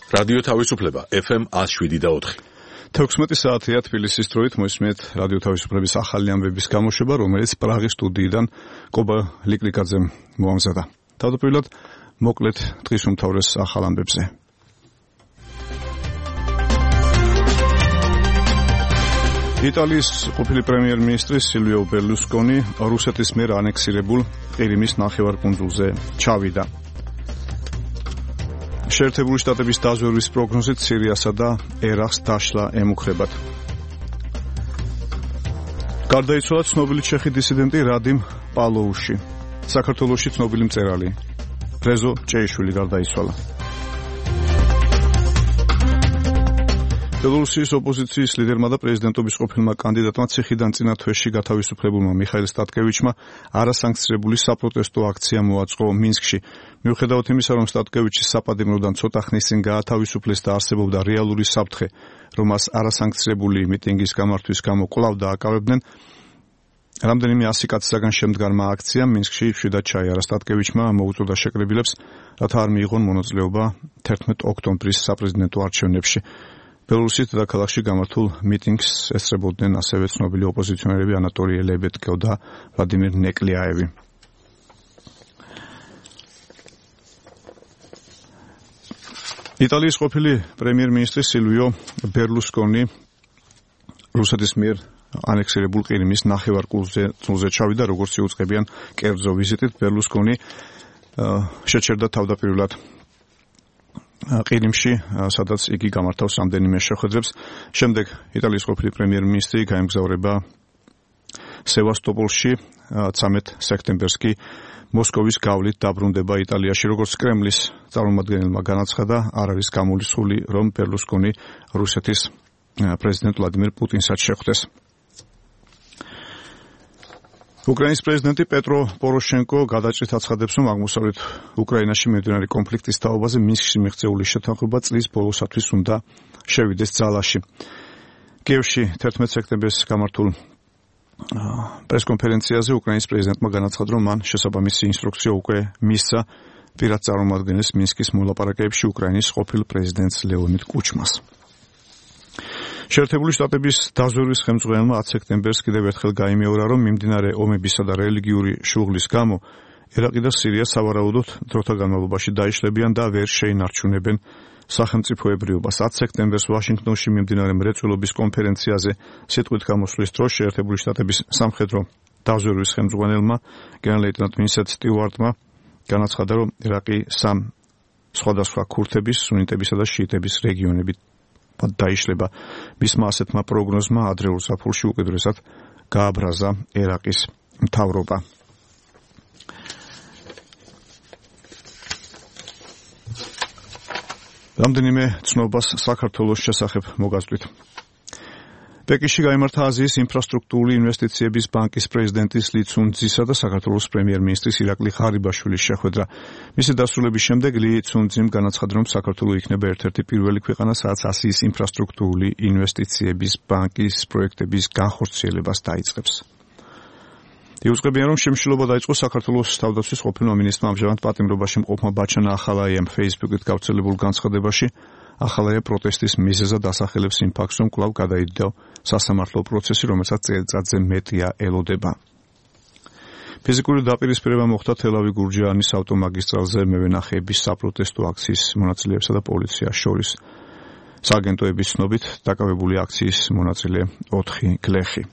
რადიო თავისუფლება FM 107.4. 16 საათია თბილისის დროით მოისმენთ რადიო თავისუფლების ახალი ამბების გამოშვება, რომელიც პრაღის სტუდიიდან კობა ლიკლიკაძემ მოამზადა. თავდაპირველად მოკლედ დღის უმთავრეს ახალ ამბებზე. იტალიის ყოფილი პრემიერ-მინისტრი სილვიო ბერლუსკონი რუსეთის მიერ ანექსირებულ ყირიმის ნახევარკუნძულზე ჩავიდა. შეერთებული შტატების დაზვერვის პროგნოზით სირიასა და ერაყს დაშლა ემუქრებათ. გარდაიცვალა ცნობილი ჩეხი დისიდენტი რადიმ პალოუში. საქართველოში ცნობილი მწერალი რეზო ჭეიშვილი გარდაიცვალა. ბელორუსიის ოპოზიციის ლიდერმა და პრეზიდენტობის ყოფილმა კანდიდატმა ციხიდან წინა თვეში გათავისუფლებულმა მიხაილ სტატკევიჩმა არასანქცირებული საპროტესტო აქცია მოაწყო მინსკში. მიუხედავად იმისა, რომ სტატკევიჩის საპატიმროდან ცოტა ხნის წინ გაათავისუფლეს და არსებობდა რეალური საფრთხე, რომ მას არასანქცირებული მიტინგის გამართვის გამო კვლავ დააკავებდნენ, რამდენიმე 100 კაცისაგან შემდგარმა აქციამ მინსკში მშვიდად ჩაიარა. სტატკევიჩმა მოუწოდა შეკრებილებს, რათა არ მიიღონ მონაწილეობა 11 ოქტომბრის საპრეზიდენტო არჩევნებში. ბელორუსის დედაქალაქში გამართულ მიტინგს ესწრებოდნენ ასევე ცნობილი ოპოზიციონერები ანატოლი ლებედკო და ვლადიმირ ნეკლიაევი. იტალიის ყოფილი პრემიერ-მინისტრი სილვიო ბერლუსკონი რუსეთის მიერ ანექსირებულ ყირიმის ნახევარკუნძულზე ჩავიდა, როგორც იუწყებიან კერძო ვიზიტით. ბერლუსკონი შეჩერდა თავდაპირველად ყირიმში, სადაც იგი გამართავს რამდენიმე შეხვედრებს. შემდეგ იტალიის ყოფილი პრემიერ-მინისტრი გაემგზავრება სევასტოპოლში, 13 სექტემბერს კი მოსკოვის გავლით დაბრუნდება იტალიაში. როგორც კრემლის წარმომადგენელმა განაცხადა, არ არის გამორიცხული, რომ ბერლუსკონი რუსეთის პრეზიდენტ ვლადიმირ პუტინსაც შეხვდეს. უკრაინის პრეზიდენტი პეტრო პოროშენკო გადაჭრით აცხადებს, რომ აღმოსავლეთ უკრაინაში მიმდინარე კონფლიქტის თაობაზე მინსკში მიღწეული შეთანხმება წლის ბოლოსათვის უნდა შევიდეს ძალაში. კიევში 11 სექტემბერს გამართულ პრესკონფერენციაზე უკრაინის პრეზიდენტმა განაცხადა, რომ მან შესაბამისი ინსტრუქცია უკვე მისცა პირად წარმომადგენლის მინსკის მოლაპარაკებებში უკრაინის ყოფილ პრეზიდენტს ლეონიდ კუჩმას. შეერთებული შტატების დაზვერვის ხელმძღვანელმა 10 სექტემბერს კიდევ ერთხელ გაიმეორა, რომ მიმდინარე ომებისა და რელიგიური შუღლის გამო ერაყი და სირია სავარაუდოდ დროთა განმავლობაში დაიშლებიან და ვერ შეინარჩუნებენ სახელმწიფოებრიობას. 10 სექტემბერს ვაშინგტონში მიმდინარე მრეწველობის კონფერენციაზე სიტყვით გამოსვლის დროს შეერთებული შტატების სამხედრო დაზვერვის ხელმძღვანელმა გენერალ-ლეიტენანტ ვინსენტ სტიუარტმა განაცხადა, რომ ერაყი სამ სხვადასხვა ქურთების, სუნიტებისა და შიიტების რეგიონებით დაიშლება. მისმა ასეთმა პროგნოზმა ადრეულ ზაფხულში უკიდურესად გააბრაზა ერაყის მთავრობა. რამდენიმე ცნობას საქართველოს შესახებ მოგაზრდით. პეკინში გაიმართა აზიის ინფრასტრუქტურული ინვესტიციების ბანკის პრეზიდენტის ალი ცუნძისა და საქართველოს პრემიერ-მინისტრის ირაკლი ღარიბაშვილის შეხვედრა. მისი დასრულების შემდეგ ალი ცუნძიმ განაცხადა, რომ საქართველო იქნება ერთ-ერთი პირველი ქვეყანა, სადაც აზიის ინფრასტრუქტურული ინვესტიციების ბანკის პროექტების განხორციელებას დაიწყებს. იუწყებიან, რომ შემშლობა დაიწყო საქართველოს თავდაცვის ყოფილმა მინისტრმა ამჟამად პატიმრობაში მყოფმა ბაჩანა ახალაიამ Facebook-ით გავრცელებულ განცხადებაში ახალაია პროტესტის მიზეზად ასახელებს იმ ფაქტს, რომ კვლავ გადაიდო სასამართლო პროცესი, რომელსაც წელიწადზე მეტია ელოდება. ფიზიკური დაპირისპირება მოხდა თელავი-გურჯაანის ავტომაგისტრალზე მევენახეების საპროტესტო აქციის მონაწილეებსა და პოლიციას შორის. სააგენტოების ცნობით დაკავებული აქციის მონაწილე 4 გლეხი.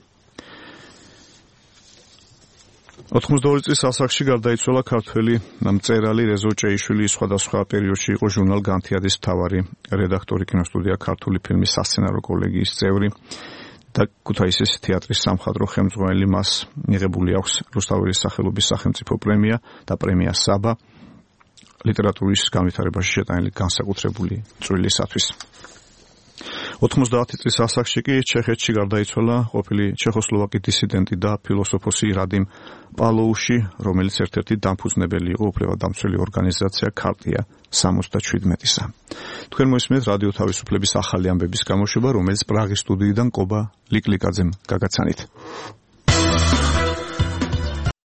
82 წლის ასაკში გარდაიცვალა ქართველი მწერალი რეზო ჭეიშვილი. სხვადასხვა პერიოდში იყო ჟურნალ განთიადის მთავარი რედაქტორი, კინოსტუდია ქართული ფილმის სასცენარო კოლეგიის წევრი და ქუთაისის თეატრის სამხატვრო ხელმძღვანელი. მას მიღებული აქვს რუსთაველის სახელობის სახელმწიფო პრემია და პრემია საბა ლიტერატურის განვითარებაში შეტანილი განსაკუთრებული წვლილისათვის. 90 წლის ასაკში კი ჩეხეთში გარდაიცვალა ყოფილი ჩეხოსლოვაკი დისიდენტი და ფილოსოფოსი რადიმ პალოუში, რომელიც ერთ-ერთი დამფუძნებელი იყო უფლებადამცველი ორგანიზაცია ქარტია 77-ისა. თქვენ მოისმენთ რადიო თავისუფლების ახალი ამბების გამოშვება, რომელიც პრაღის სტუდიიდან კობა ლიკლიკაძემ გაგაცანით.